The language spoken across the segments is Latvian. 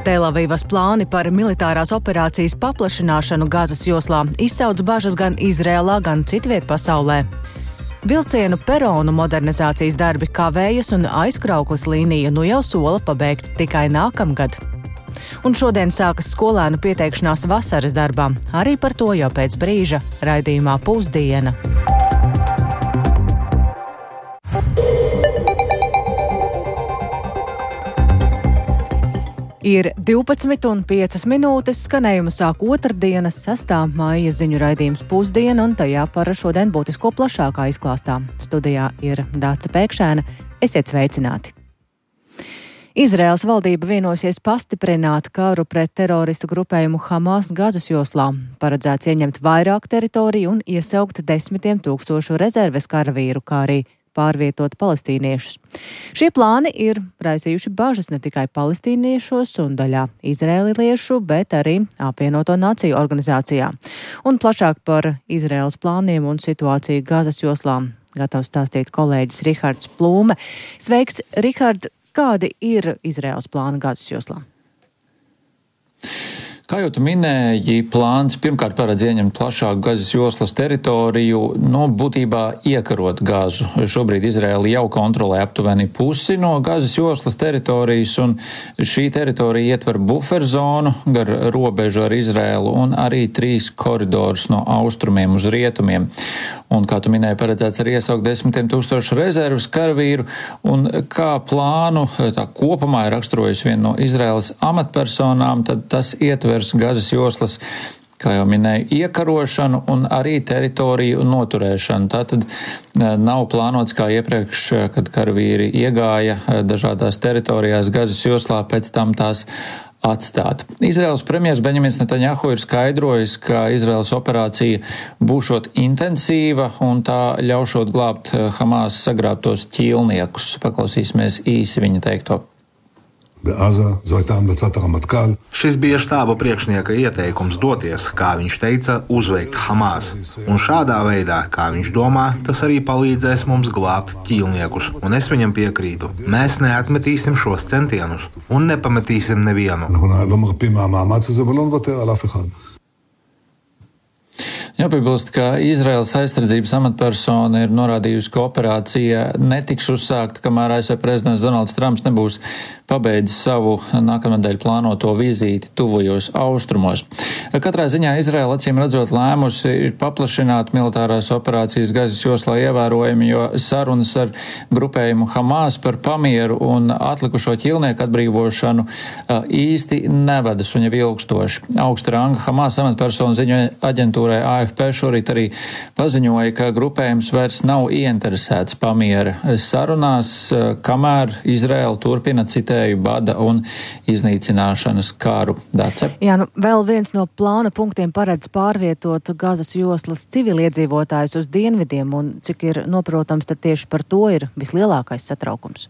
Telavivas plāni par militārās operācijas paplašināšanu Gazas joslā izsauc bažas gan Izrēlā, gan citviet pasaulē. Vilcienu peronu modernizācijas darbi kavējas un aizkrauklis līnija nu jau sola pabeigt tikai nākamgad. Un šodien sākas skolēnu pieteikšanās vasaras darbām. Arī par to jau pēc brīža raidījumā Pusdiena. Ir 12:05, skanējumu sāk otrdienas 6. maija ziņu raidījums Pusdiena, un tajā par šodien būtisko plašākā izklāstā. Studijā ir Dāca Pēkšēna. Esiet sveicināti! Izraēlas valdība vienosies pastiprināt karu pret teroristu grupējumu Hamas Gazas joslā. Paredzēts ieņemt vairāk teritoriju un iesaukt 10 000 rezerves karavīru, kā arī pārvietot palestīniešus. Šie plāni ir raisījuši bažas ne tikai palestīniešos un daļā izrēliešu, bet arī apvienoto nāciju organizācijā. Un plašāk par Izraēlas plāniem un situāciju Gazas joslā gatavs stāstīt kolēģis Rihards Plūme. Sveiks, Rihard! Kādi ir Izraēlas plāni Gazas joslā? Kā jau tu minēji, plāns pirmkārt paredz ieņemt plašāku Gazas joslas teritoriju, būtībā iekarot Gazu. Šobrīd Izraēla jau kontrolē aptuveni pusi no Gazas joslas teritorijas, un šī teritorija ietver buferzonu gar robežu ar Izraēlu un arī 3 koridorus no austrumiem uz rietumiem. Un, kā tu minēji, paredzēts arī iesaukt 10 000 rezerves karavīru, un kā plānu tā kopumā ir raksturojusi viena no Izraēlas amatpersonām, tad tas ietver Gazas joslas, kā jau minēju, iekarošanu un arī teritoriju noturēšanu. Tātad nav plānots kā iepriekš, kad karavīri iegāja dažādās teritorijās Gazas joslā, pēc tam tās atstāt. Izraēlas premjers Benjamins Netanjahu ir skaidrojis, ka Izraēlas operācija būšot intensīva un tā ļaušot glābt Hamas sagrābtos ķīlniekus. Paklausīsimies īsi viņa teikto. Šis bija štāba priekšnieka ieteikums doties, kā viņš teica, uzveikt Hamas. Un šādā veidā, kā viņš domā, tas arī palīdzēs mums glābt ķīlniekus. Un es viņam piekrītu. Mēs neatmetīsim šos centienus un nepametīsim nevienu. Jāpiebilst, ka Izraēlas aizsardzības amatpersona ir norādījusi, ka operācija netiks uzsākta, kamēr ASV prezidents Donalds Trumps nebūs pabeidzis savu nākamnedēļ plānoto vizīti tuvajos austrumos. Katrā ziņā Izraēla acīm redzot lēmusi ir paplašināt militārās operācijas Gazas joslā ievērojami, jo sarunas ar grupējumu Hamas par pamieru un atlikušo ķīlnieku atbrīvošanu īsti nevedas un jau ilgstoši. Augsta ranga Hamas amatpersona ziņo aģentūrai AFP šorīt arī paziņoja, ka grupējums vairs nav ieinteresēts pamiera sarunās, kamēr Izraēla turpina citēju bada un iznīcināšanas karu. Dace? Jā, vēl viens no plāna punktiem paredz pārvietot Gazas joslas civiliedzīvotājus uz dienvidiem, un cik ir noprotams, tad tieši par to ir vislielākais satraukums.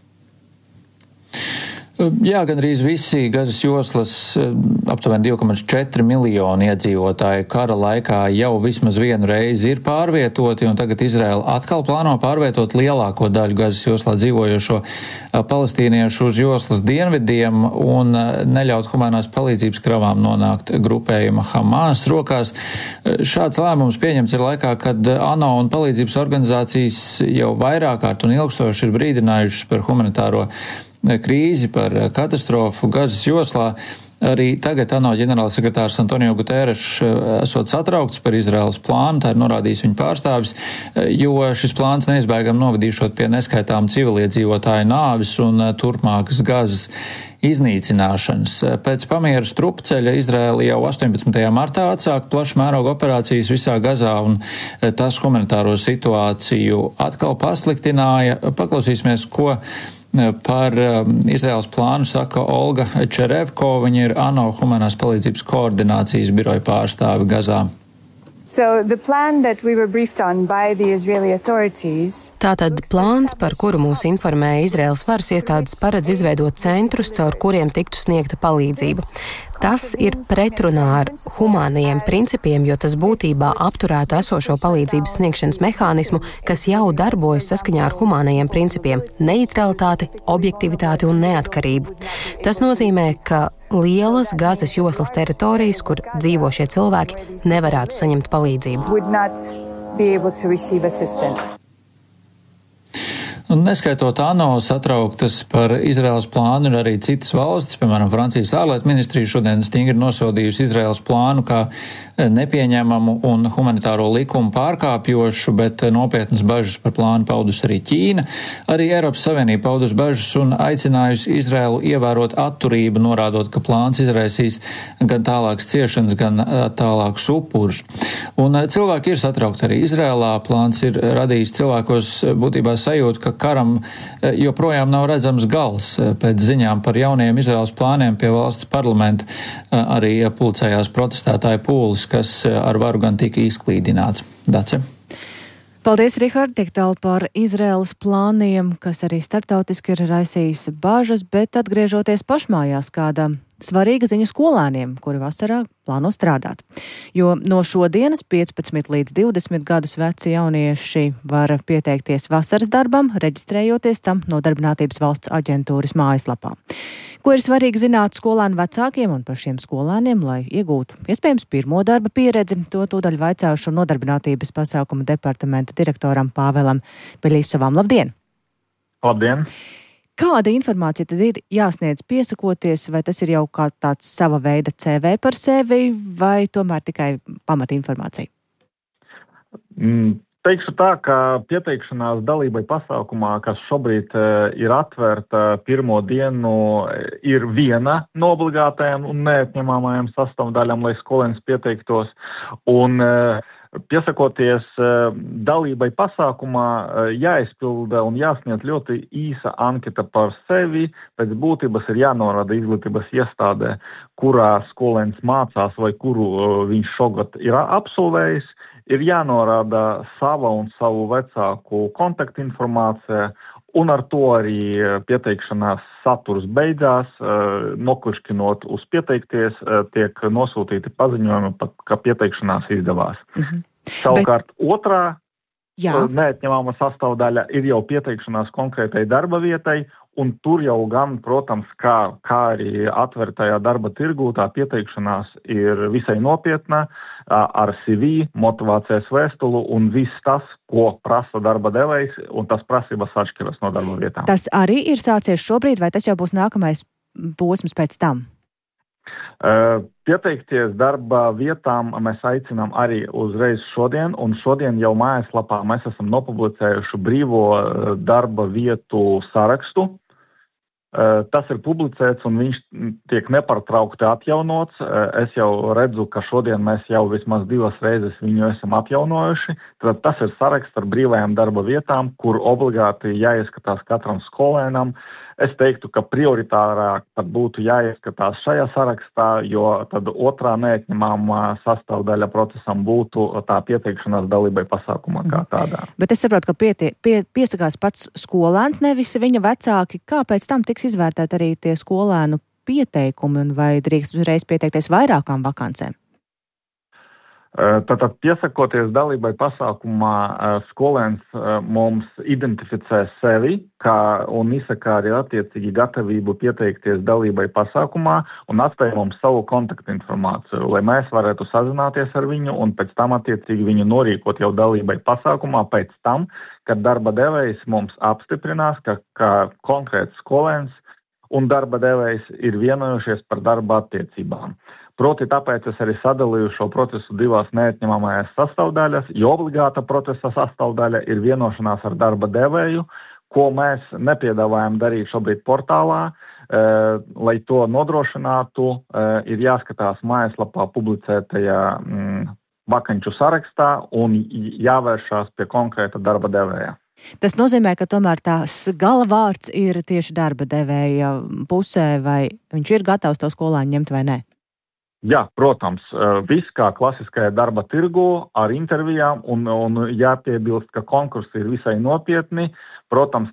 Jā, gandrīz visi Gazas joslas aptuveni 2,4 miljoni iedzīvotāji kara laikā jau vismaz vienu reizi ir pārvietoti, un tagad Izraēla atkal plāno pārvietot lielāko daļu Gazas joslā dzīvojošo palestīniešu uz joslas dienvidiem un neļaut humanās palīdzības kravām nonākt grupējuma Hamas rokās. Šāds lēmums pieņemts ir laikā, kad ANO un palīdzības organizācijas jau vairāk kārt un ilgstoši ir brīdinājušas par humanitāro krīzi, par katastrofu Gazas joslā. Arī tagad ANO ģenerālsekretārs Antonio Guterres esot satraukts par Izraēlas plānu, tā ir norādījis viņa pārstāvis, jo šis plāns neizbēgam novadīšot pie neskaitām civiliedzīvotāju nāvis un turpmākas Gazas iznīcināšanas. Pēc pamiera strupceļa Izraēla jau 18. martā atsāka plašu mērogu operācijas visā Gazā, un tas humanitāro situāciju atkal pasliktināja. Paklausīsimies, ko par Izraēlas plānu saka Olga Čerevko, viņa ir ANO humanās palīdzības koordinācijas biroja pārstāve Gazā. Tātad plāns, par kuru mūs informēja Izraēlas varas iestādes, paredz izveidot centrus, caur kuriem tiktu sniegta palīdzība. Tas ir pretrunā ar humānajiem principiem, jo tas būtībā apturētu esošo palīdzības sniegšanas mehānismu, kas jau darbojas saskaņā ar humānajiem principiem - neutralitāti, objektivitāti un neatkarību. Tas nozīmē, ka lielas Gazas joslas teritorijas, kur dzīvo šie cilvēki, nevarētu saņemt palīdzību. Un neskaitot ANO satrauktas par Izraēlas plānu, ir arī citas valstis, piemēram, Francijas ārlietu ministrija šodien stingri nosodījusi Izraēlas plānu kā nepieņemamu un humanitāro likumu pārkāpjošu, bet nopietnas bažas par plānu paudus arī Ķīna. Arī Eiropas Savienība paudus bažas un aicinājusi Izraēlu ievērot atturību, norādot, ka plāns izraisīs gan tālākas ciešanas, gan tālākus upurus. Un cilvēki ir satraukti arī Izraēlā. Plāns ir radījis cilvēkos būtībā sajūtu, ka karam joprojām nav redzams gals. Pēc ziņām par jauniem Izraēlas plāniem pie valsts parlamenta arī pulcējās protestētāju pūlis, kas ar varu gan tika izklīdināts. Dace? Paldies, Rihard, tik tālu par Izraēlas plāniem, kas arī starptautiski ir raisījis bažas, bet atgriežoties pašmājās, kāda svarīga ziņa skolēniem, kuri vasarā plāno strādāt. Jo no šodienas 15 līdz 20 gadus veci jaunieši var pieteikties vasaras darbam, reģistrējoties tam Nodarbinātības valsts aģentūras mājaslapā. Ko ir svarīgi zināt skolēnu vecākiem un par šiem skolēniem, lai iegūtu iespējams pirmo darba pieredzi, to tūdaļ vaicāšu Nodarbinātības pasākuma departamenta direktoram Pāvēlam Beļisovam. Labdien! Labdien! Kāda informācija tad ir jāsniedz piesakoties, vai tas ir jau kā tāds sava veida CV par sevi, vai tomēr tikai pamatinformācija? Teikšu tā, ka pieteikšanās dalībai pasākumā, kas šobrīd ir atvērta pirmo dienu, ir viena no obligātajām un neatņemamajām sastāvdaļām, lai skolēns pieteiktos. Un piesakoties dalībai pasākumā, jāizpilda un jāsniedz ļoti īsa anketa par sevi. Pēc būtības ir jānorāda izglītības iestādē, kurā skolēns mācās vai kuru viņš šogad ir absolvējis. Ir jānorāda sava un savu vecāku kontaktinformācija, un ar to arī pieteikšanās saturs beidzās. Noklišķinot uz pieteikties, tiek nosūtīti paziņojumi, ka pieteikšanās izdevās. Savukārt otrā neatņemama sastāvdaļa ir jau pieteikšanās konkrētai darba vietai, un tur jau gan, protams, kā arī atvērtajā darba tirgū, tā pieteikšanās ir visai nopietna, ar CV, motivācijas vēstulu un viss tas, ko prasa darba devējs, un tas prasības atšķiras no darba vietām. Tas arī ir sācies šobrīd, vai tas jau būs nākamais posms pēc tam? Pieteikties darba vietām mēs aicinām arī uzreiz šodien, un šodien jau mājaslapā mēs esam nopublicējuši brīvo darba vietu sarakstu. Tas ir publicēts un viņš tiek nepārtraukti atjaunots. Es jau redzu, ka šodien mēs jau vismaz 2 reizes viņu esam atjaunojuši. Tad tas ir saraksts ar brīvajām darba vietām, kur obligāti jāieskatās katram skolēnam. Es teiktu, ka prioritārāk pat būtu jāieskatās šajā sarakstā, jo tad otrā neatņemamā sastāvdaļa procesam būtu tā pieteikšanās dalībai pasākumā kā tādā. Bet es saprotu, ka piesakās pats skolēns, nevis viņa vecāki. Kā pēc tam tiks izvērtēt arī tie skolēnu pieteikumi, un vai drīkst uzreiz pieteikties vairākām vakancēm? Tātad piesakoties dalībai pasākumā, skolēns mums identificē sevi un izsaka arī attiecīgi gatavību pieteikties dalībai pasākumā un atstāja mums savu kontaktinformāciju, lai mēs varētu sazināties ar viņu un pēc tam attiecīgi viņu norīkot jau dalībai pasākumā pēc tam, kad darba devējs mums apstiprinās, ka konkrēts skolēns un darba devējs ir vienojušies par darba attiecībām. Proti tāpēc es arī sadalīju šo procesu 2 neatņemamajās sastāvdaļas, jo obligāta procesa sastāvdaļa ir vienošanās ar darba devēju, ko mēs nepiedāvājam darīt šobrīd portālā. Lai to nodrošinātu, ir jāskatās mājaslapā publicētajā vakanču sarakstā un jāvēršās pie konkrēta darba devēja. Tas nozīmē, ka tomēr tās galavārds ir tieši darba devēja pusē, vai viņš ir gatavs to skolēnu ņemt vai ne? Jā, protams, viss kā klasiskajā darba tirgu ar intervijām un jāpiebilst, ka konkursi ir visai nopietni. Protams,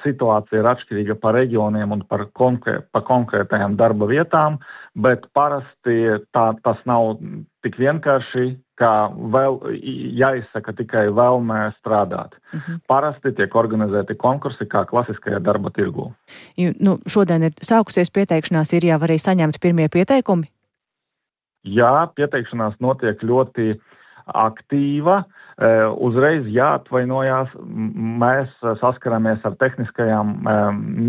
situācija ir atšķirīga pa reģioniem un pa konkrētajām darba vietām, bet parasti tas nav tik vienkārši, kā vēl jāizsaka tikai vēlmē strādāt. Parasti tiek organizēti konkursi kā klasiskajā darba tirgu. Šodien ir sākusies pieteikšanās, ir jau arī saņemti pirmie pieteikumi? Jā, pieteikšanās notiek ļoti aktīva. Uzreiz jāatvainojās, mēs saskaramies ar tehniskajām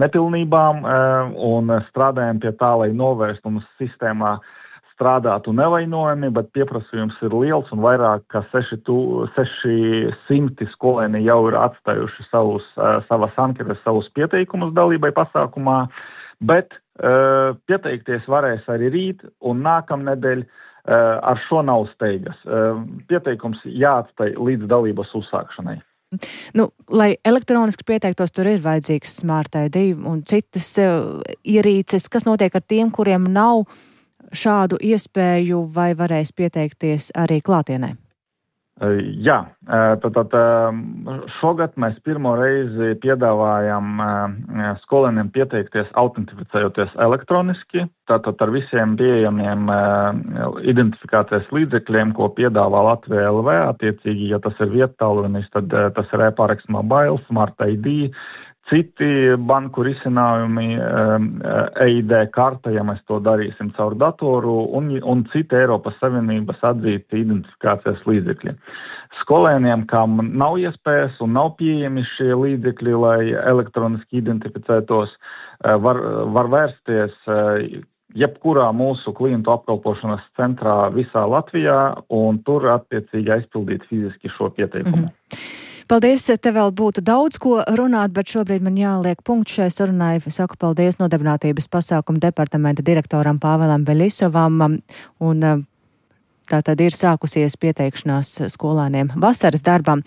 nepilnībām un strādājam pie tā, lai novērstu mums sistēmā strādātu nevainojami, bet pieprasījums ir liels un vairāk kā 600 skolēni jau ir atstājuši savas anketas, savus pieteikumus dalībai pasākumā, bet pieteikties varēs arī rīt un nākamnedēļ. Ar šo nav steigas. Pieteikums jāatstāj līdz dalības uzsākšanai. Lai elektroniski pieteiktos, tur ir vajadzīgs Smart ID un citas ierīces. Kas notiek ar tiem, kuriem nav šādu iespēju vai varēs pieteikties arī klātienē? Jā, tad šogad mēs pirmo reizi piedāvājam skolēniem pieteikties autentificējoties elektroniski, tātad ar visiem pieejamiem identifikācijas līdzekļiem, ko piedāvā Latvija LV, attiecīgi, ja tas ir viettālrunis, tad tas ir e-paraksts mobile, Smart ID, citi banku risinājumi, EID karta, ja mēs to darīsim caur datoru, un citi Eiropas Savienības atzīti identifikācijas līdzekļi. Skolēniem, kam nav iespējas un nav pieejami šie līdzekļi, lai elektroniski identificētos, var vērsties jebkurā mūsu klientu apkalpošanas centrā visā Latvijā un tur attiecīgi aizpildīt fiziski šo pieteikumu. Paldies, te vēl būtu daudz ko runāt, bet šobrīd man jāliek punkts šai sarunai. Saku paldies Nodarbinātības pasākumu departamenta direktoram Pāvēlam Beļisovam, un tā tad ir sākusies pieteikšanās skolēniem vasaras darbam,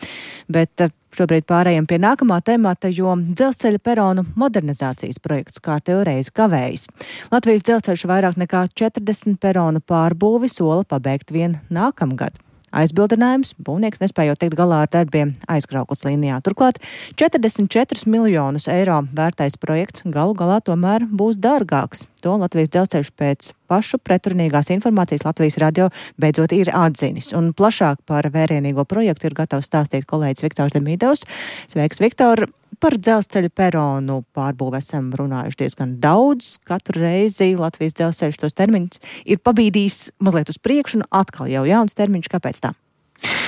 bet šobrīd pārējiem pie nākamā temata, jo dzelzceļa peronu modernizācijas projekts kārtējo reizi kavējas. Latvijas dzelzceļš vairāk nekā 40 peronu pārbūvi sola pabeigt vien nākamgad. Aizbildinājums - būvnieks nespējot tikt galā ar darbiem aizkrauklas līnijā. Turklāt 44 miljonus eiro vērtais projekts galu galā tomēr būs dārgāks. To Latvijas dzelzceļš pēc pašu pretrunīgās informācijas Latvijas radio beidzot ir atzinis. Un plašāk par vērienīgo projektu ir gatavs stāstīt kolēģis Viktors Demīdovs. Sveiks, Viktor! Par dzelzceļa peronu pārbūvi esam runājuši diezgan daudz. Katru reizi Latvijas dzelzceļš tos termiņus ir pabīdījis mazliet uz priekšu un atkal jau jauns termiņš. Kāpēc tā?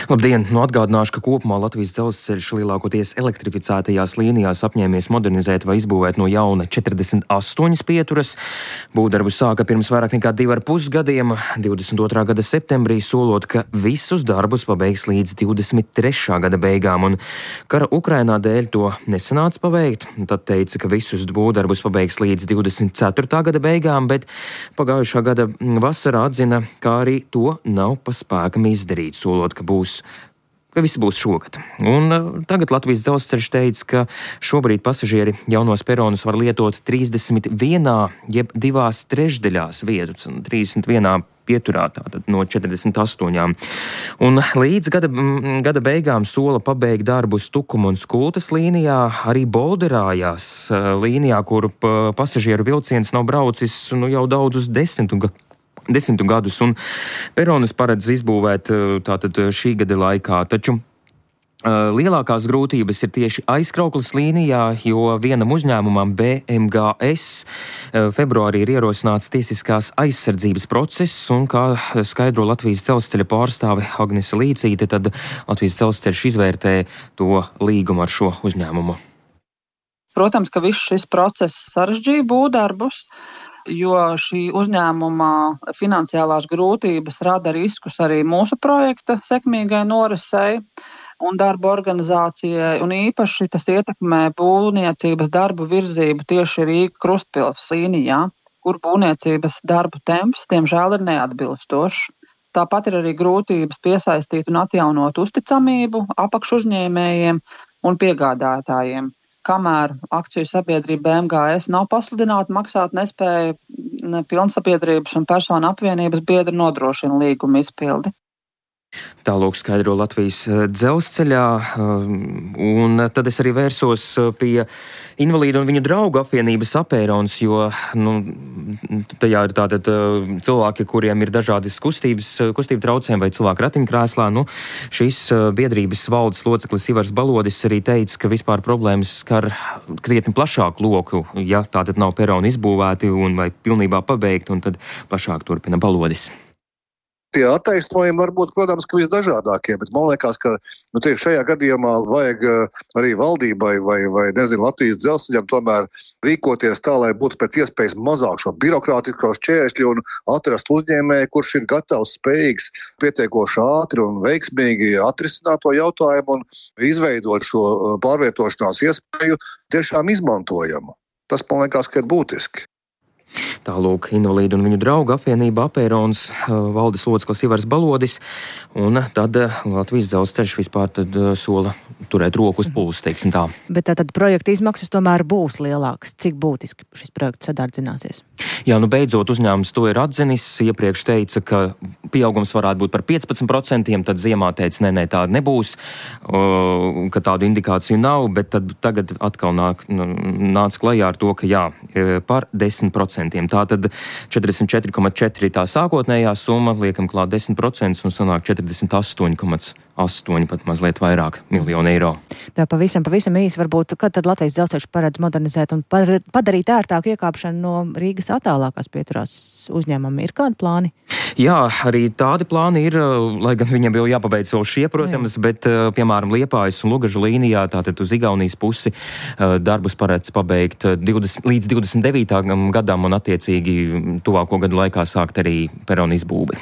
Labdien! Atgādināšu, ka kopumā Latvijas dzelzceļš lielākoties elektrificētajās līnijās apņēmies modernizēt vai izbūvēt no jauna 48 pieturas. Būvdarbu sāka pirms vairāk nekā 2,5 gadiem, 22. gada septembrī, solot, ka visus darbus pabeigs līdz 23. gada beigām, un kara Ukrainā dēļ to nesanāca paveikt. Tad teica, ka visus būvdarbus pabeigs līdz 24. gada beigām, bet pagājušā gada vasarā atzina, ka arī to nav pa spēkam izdarīt, solot, ka viss būs šogad. Un tagad Latvijas dzelzceļš teica, ka šobrīd pasažieri jaunos peronus var lietot 31, jeb 2/3 vietas, un 31 pieturā, tātad no 48. Un līdz gada beigām sola pabeigt darbu Tukuma un Skultas līnijā, arī Bolderājās līnijā, kur pasažieru vilciens nav braucis jau daudzus desmitu gadus, un peronus paredz izbūvēt tātad šī gada laikā. Taču lielākās grūtības ir tieši aizkrauklas līnijā, jo vienam uzņēmumam BMGS februārī ir ierosināts tiesiskās aizsardzības process, un kā skaidro Latvijas dzelzceļa pārstāve Agnese Līcīte, tad Latvijas dzelzceļš izvērtē to līgumu ar šo uzņēmumu. Protams, ka viss šis process sarežģīja būvdarbus, jo šī uzņēmuma finansiālās grūtības rada riskus arī mūsu projekta sekmīgai norisei un darba organizācijai, un īpaši tas ietekmē būvniecības darbu virzību tieši Rīga Krustpils līnijā, kur būvniecības darbu temps, diemžēl, ir neatbilstošs. Tāpat ir arī grūtības piesaistīt un atjaunot uzticamību apakšuzņēmējiem un piegādātājiem. Kamēr akciju sabiedrība BMGS nav pasludināta maksāt nespēju pilnsabiedrības un personu apvienības biedri nodrošina līguma izpildi. Tālūk skaidro Latvijas dzelzceļā, un tad es arī vērsos pie invalīdu un viņu draugu apvienības Apērons, jo tajā ir tātad cilvēki, kuriem ir dažādas kustību traucējumi vai cilvēku ratiņkrēslā. Šīs biedrības valdes loceklis Ivars Balodis arī teica, ka vispār problēmas skar krietni plašāku loku, ja tātad nav peroni izbūvēti un vai pilnībā pabeigti, un tad plašāk turpina Balodis. Tie attaisnojumi var būt, protams, ka visdažādākie, bet man liekas, ka šajā gadījumā vajag arī valdībai vai Latvijas dzelzceļam tomēr rīkoties tā, lai būtu pēc iespējas mazāk šo birokrātisko šķēršļu un atrast uzņēmēju, kurš ir gatavs, spējīgs pietiekoši ātri un veiksmīgi atrisināt to jautājumu un izveidot šo pārvietošanās iespēju tiešām izmantojamu. Tas, man liekas, ka ir būtiski. Tālūk, invalīdu un viņu draugu apvienība Apērons, valdes loceklis Ivars Balodis, un tad Latvijas dzelzceļš vispār tad sola turēt roku uz pulsa, teiksim tā. Bet tātad projekta izmaksas tomēr būs lielākas. Cik būtiski šis projekts sadārdzināsies? Jā, beidzot uzņēmums to ir atzinis. Iepriekš teica, ka pieaugums varētu būt par 15%, tad ziemā teica, nē, tāda nebūs, ka tādu indikāciju nav, bet tad tagad atkal nāca klajā ar to, ka jā, par 10%. Tātad 44,4 ir tā sākotnējā summa, liekam klāt 10% un sanāk 48,8 pat mazliet vairāk miljonu eiro. Tā pavisam īsi varbūt, kad tad Latvijas dzelzceļš paredz modernizēt un padarīt ērtāku iekāpšanu no Rīgas attālākās pieturās uzņēmumiem. Ir kādi plāni? Jā, arī tādi plāni ir, lai gan viņam jau jāpabeidz vēl šie, protams, bet, piemēram, Liepājas un Lugažu līnijā, tātad uz Igaunijas pusi, darbus paredz pabeigt līdz 29. gadam un attiecīgi tuvāko gadu laikā sākt arī peronu izbūvi.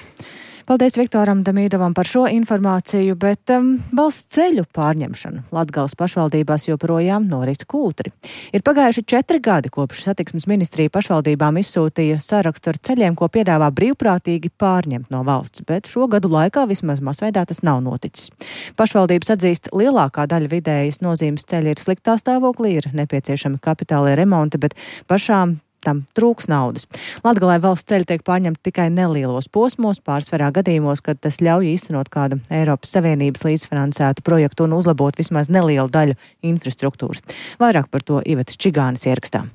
Paldies Viktoram Damīdovam par šo informāciju, bet valsts ceļu pārņemšana Latgales pašvaldībās joprojām norit kūtri. Ir pagājuši 4 gadi, kopš satiksmes ministrija pašvaldībām izsūtīja sarakstu ar ceļiem, ko piedāvā brīvprātīgi pārņemt no valsts, bet šo gadu laikā vismaz masveidā tas nav noticis. Pašvaldības atzīst, lielākā daļa vidējas nozīmes ceļa ir sliktā stāvoklī, ir nepieciešami kapitālie remonti, bet pašām tam trūks naudas. Latgalē valsts ceļi tiek pārņemti tikai nelielos posmos, pārsvarā gadījumos, kad tas ļauj īstenot kādu Eiropas Savienības līdzfinansētu projektu un uzlabot vismaz nelielu daļu infrastruktūras. Vairāk par to Ivetas Čigānes ierakstā.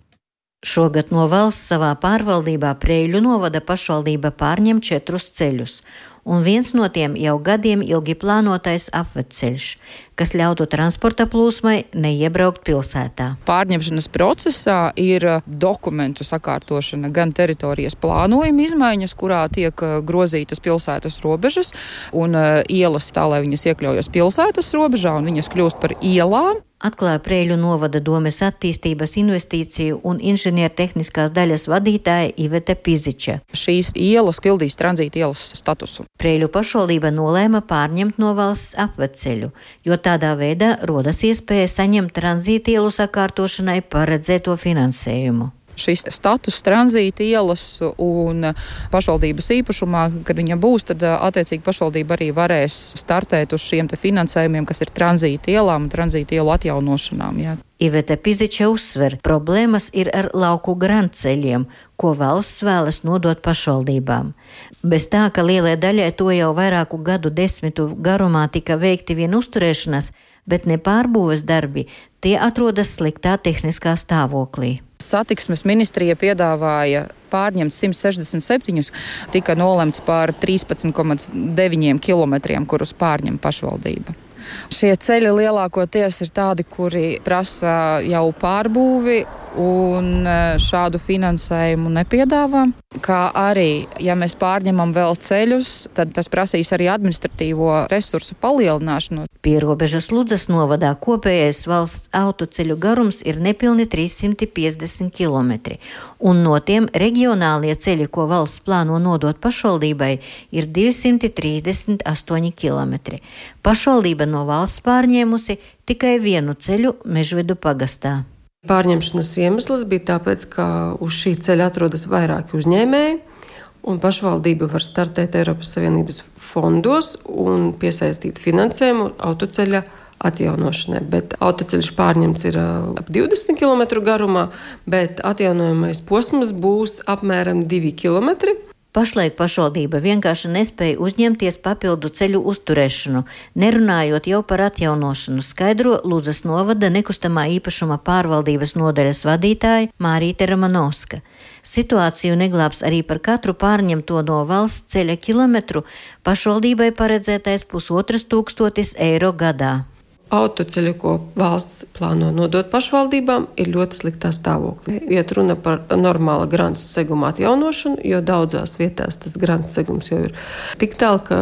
Šogad no valsts savā pārvaldībā Preiļu novada pašvaldība pārņem 4 ceļus, un viens no tiem jau gadiem ilgi plānotais apvedceļš, kas ļautu transporta plūsmai neiebraukt pilsētā. Pārņemšanas procesā ir dokumentu sakārtošana, gan teritorijas plānojuma izmaiņas, kurā tiek grozītas pilsētas robežas un ielas tā, lai viņas iekļaujas pilsētas robežā un viņas kļūst par ielām. Atklāja Preiļu novada domes attīstības investīciju un inženiertehniskās daļas vadītāja Ivete Piziča. Šīs ielas pildīs tranzīta ielas statusu. Preiļu pašvaldība nolēma pārņemt no valsts apvedceļu, jo tādā veidā rodas iespēja saņemt tranzīta ielu sakārtošanai paredzēto finansējumu. Šis status tranzīta ielas un pašvaldības īpašumā, kad viņa būs, tad attiecīgi pašvaldība arī varēs startēt uz šiem te finansējumiem, kas ir tranzīta ielām un tranzīta ielu atjaunošanām. Jā. Ivete Piziča uzsver, problēmas ir ar lauku grantceļiem, ko valsts vēlas nodot pašvaldībām. Bez tā, ka lielai daļai to jau vairāku gadu desmitu garumā tika veikti vien uzturēšanas, bet ne pārbūves darbi, tie atrodas sliktā tehniskā stāvoklī. Satiksmes ministrija piedāvāja pārņemt 167, tika nolemts par 13,9 kilometriem, kurus pārņem pašvaldība. Šie ceļi lielākoties ir tādi, kuri prasa jau pārbūvi un šādu finansējumu nepiedāvā. Kā arī, ja mēs pārņemam vēl ceļus, tad tas prasīs arī administratīvo resursu palielināšanu. Pierobežas Ludzas novadā kopējais valsts autoceļu garums ir nepilni 350 km, un no tiem reģionālie ceļi, ko valsts plāno nodot pašvaldībai, ir 238 km. Pašvaldība no valsts pārņēmusi tikai vienu ceļu Mežvedu pagastā. Pārņemšanas iemesls bija tāpēc, ka uz šī ceļa atrodas vairāki uzņēmēji, un pašvaldība var startēt Eiropas Savienības fondos un piesaistīt finansējumu autoceļa atjaunošanai. Bet autoceļš pārņemts ir ap 20 km garumā, bet atjaunojamais posms būs apmēram 2 km. Pašlaik pašvaldība vienkārši nespēja uzņemties papildu ceļu uzturēšanu, nerunājot jau par atjaunošanu, skaidro Ludzas novada nekustamā īpašuma pārvaldības nodaļas vadītāja Mārīte Ramanovska. Situāciju neglābs arī par katru pārņemto no valsts ceļa kilometru pašvaldībai paredzētais 1500 eiro gadā. Autoceļi, ko valsts plāno nodot pašvaldībām, ir ļoti sliktā stāvoklī. Iet runa par normāla grants seguma atjaunošanu, jo daudzās vietās tas grants segums jau ir tik tālu, ka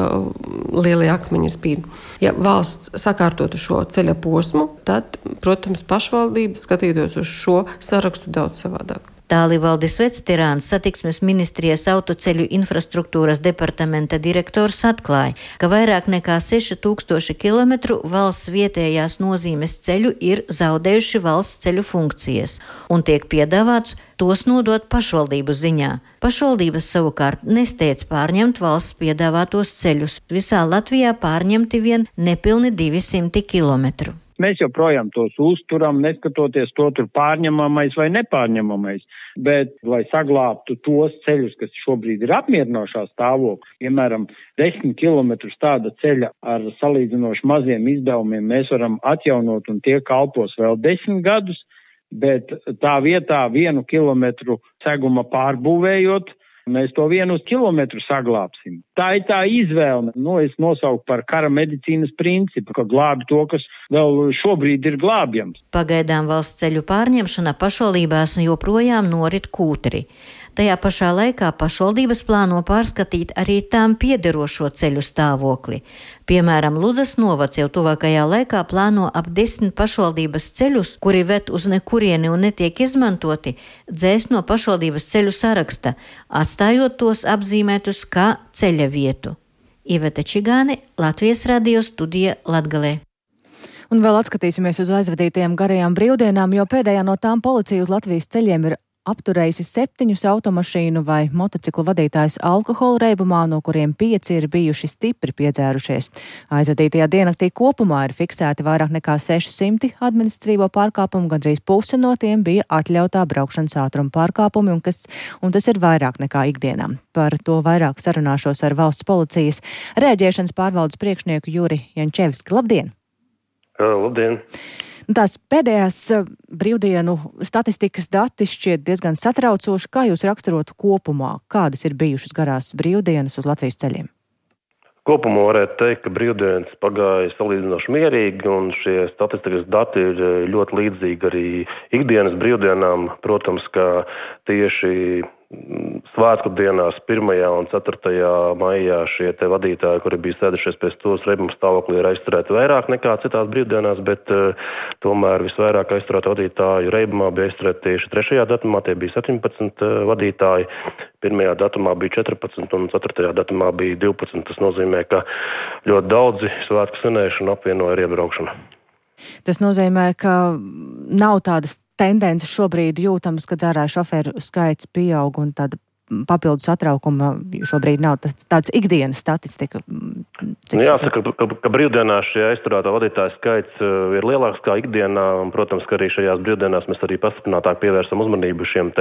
lielie akmeņi spīd. Ja valsts sakārtotu šo ceļa posmu, tad, protams, pašvaldības skatītos uz šo sarakstu daudz savādāk. Tālivaldis Vectirāns, satiksmes ministrijas autoceļu infrastruktūras departamenta direktors atklāja, ka vairāk nekā 6000 kilometru valsts vietējās nozīmes ceļu ir zaudējuši valsts ceļu funkcijas un tiek piedāvāts tos nodot pašvaldību ziņā. Pašvaldības savukārt nesteidz pārņemt valsts piedāvātos ceļus. Visā Latvijā pārņemti vien nepilni 200 kilometru. Mēs joprojām tos uzturam, neskatoties to tur pārņemamais vai nepārņemamais. Bet, lai saglābtu tos ceļus, kas šobrīd ir apmierinošā stāvoklī, piemēram, 10 kilometrus tāda ceļa ar salīdzinoši maziem izdevumiem mēs varam atjaunot un tie kalpos vēl 10 gadus, bet tā vietā 1 kilometru seguma pārbūvējot, mēs to 1 kilometru saglābsim. Tā ir tā izvēle. Es nosauku par kara medicīnas principu, ka glābi to, kas vēl šobrīd ir glābjams. Pagaidām valsts ceļu pārņemšana pašvaldībās joprojām norit kūtri. Tajā pašā laikā pašvaldības plāno pārskatīt arī tām piederošo ceļu stāvokli. Piemēram, Ludzas novads jau tuvākajā laikā plāno ap 10 pašvaldības ceļus, kuri ved uz nekurieni un netiek izmantoti, dzēst no pašvaldības ceļu saraksta, atstājot tos apzīmētus kā ceļa vietu. Iveta Čigāne, Latvijas radio studija Latgalē. Un vēl atskatīsimies uz aizvadītajām garajām brīvdienām, jo pēdējā no tām policija uz Latvijas ceļiem ir apturējusi 7 automašīnu vai motociklu vadītājus alkohola reibumā, no kuriem 5 ir bijuši stipri piedzērušies. Aizvadītajā diennaktī kopumā ir fiksēti vairāk nekā 600 administratīvo pārkāpumu, gandrīz puse no tiem bija atļautā braukšanas ātruma pārkāpumi, un tas ir vairāk nekā ikdienā. Par to vairāk sarunāšos ar valsts policijas rēģēšanas pārvaldes priekšnieku Juri Jančevski. Labdien! Labdien! Tās pēdējās brīvdienu statistikas dati šķiet diezgan satraucoši. Kā jūs raksturotu kopumā? Kādas ir bijušas garās brīvdienas uz Latvijas ceļiem? Kopumā varētu teikt, ka brīvdienas pagāja salīdzinoši mierīgi, un šie statistikas dati ir ļoti līdzīgi arī ikdienas brīvdienām. Protams, ka tieši svētku dienās 1. un 4. maijā šie vadītāji, kuri bija sēdušies pēc tos reibuma stāvoklī, ir aizturēti vairāk nekā citās brīvdienās, bet tomēr visvairāk aizturētu vadītāju reibumā bija aizturēti tieši 3. datumā, tie bija 17 vadītāji, 1. datumā bija 14 un 4. datumā bija 12. Tas nozīmē, ka ļoti daudzi svētku svinēšanu apvienoja ar iebraukšanu. Tas nozīmē, ka nav tādas tendences šobrīd jūtams, ka dzērāju šoferu skaits pieaug un tāda papildus satraukuma šobrīd nav tāds ikdienas statistika. Jāsaka, ka brīvdienās šie aizturētā vadītāja skaits ir lielāks kā ikdienā, un, protams, ka arī šajās brīvdienās mēs arī pastiprinātāk pievērsam uzmanību šim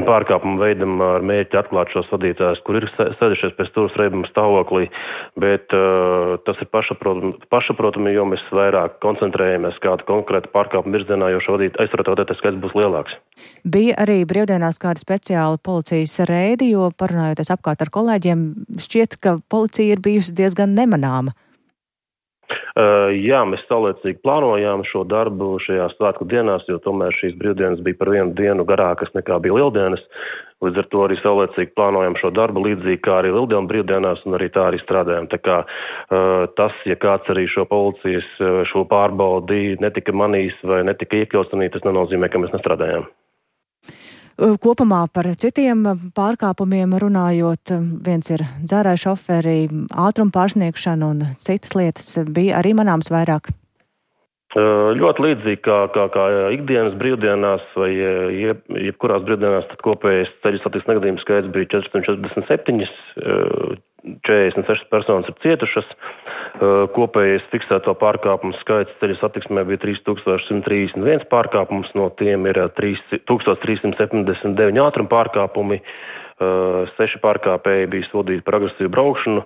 pārkāpumu veidam ar mērķi atklāt šos vadītājus, kur ir sēdušies pēc turas reibuma stāvoklī, bet tas ir pašsaprotami, jo mēs vairāk koncentrējamies kādu konkrētu pārkāpumu virzienā, jo šo aizturētā vadītāja skaits būs lielāks. Bija arī brīvdienās kāda speciāla policijas reidi, jo parunājoties apkārt ar kolēģiem, šķiet, ka policija ir bijusi diezgan nemanāma. Jā, mēs saulēcīgi plānojām šo darbu šajās svētku dienās, jo tomēr šīs brīvdienas bija par 1 dienu garākas nekā bija lieldienas. Līdz ar to arī saulēcīgi plānojam šo darbu līdzīgi kā arī lieldienu brīvdienās, un arī tā arī strādājam. Tā kā tas, ja kāds arī šo policijas šo pārbaudi netika manījis vai netika iekļauts, tas nenozīmē, ka mēs nestrādājām. Kopumā par citiem pārkāpumiem runājot, viens ir dzērāju šoferi, ātruma pārsniegšana un citas lietas bija arī manāms vairāk. Ļoti līdzīgi kā ikdienas brīvdienās vai jebkurās brīvdienās, tad kopējais ceļu satiksmes negadījumu skaits bija 447. 46 personas ir cietušas. Kopējais fiksēto pārkāpumu skaits ceļu satiksmē bija 3131 pārkāpums, no tiem ir 1379 ātruma pārkāpumi, 6 pārkāpēji bija sodīti par agresīvu braukšanu,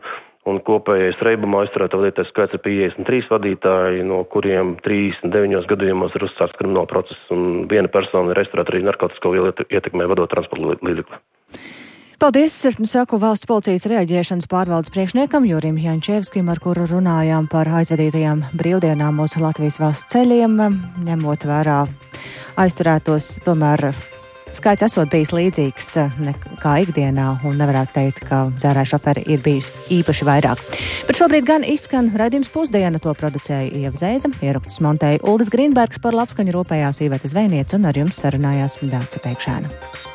un kopējais reibumā aizturēto vadītāju skaits ir 53 vadītāji, no kuriem 39 gadījumos ir uzsākts krimināla process, un viena persona ir aizturēta arī narkotisko vielu ietekmē vadot transporta līdzekli. Paldies, saku valsts policijas reaģēšanas pārvaldes priekšniekam Jurim Jančevskim, ar kuru runājām par aizvadītajām brīvdienām uz Latvijas valsts ceļiem, ņemot vērā aizturētos, tomēr skaits esot bijis līdzīgs kā ikdienā, un nevarētu teikt, ka dzērāju šoferi ir bijis īpaši vairāk. Bet šobrīd gan izskan raidījums Pusdiena, to producēja Ieva Zēza, ierakstus montēja Uldis Grīnbergs, par labskaņu rūpējās Iveta Zvejniece, un ar jums sarunājās Dāca Pēkšēna.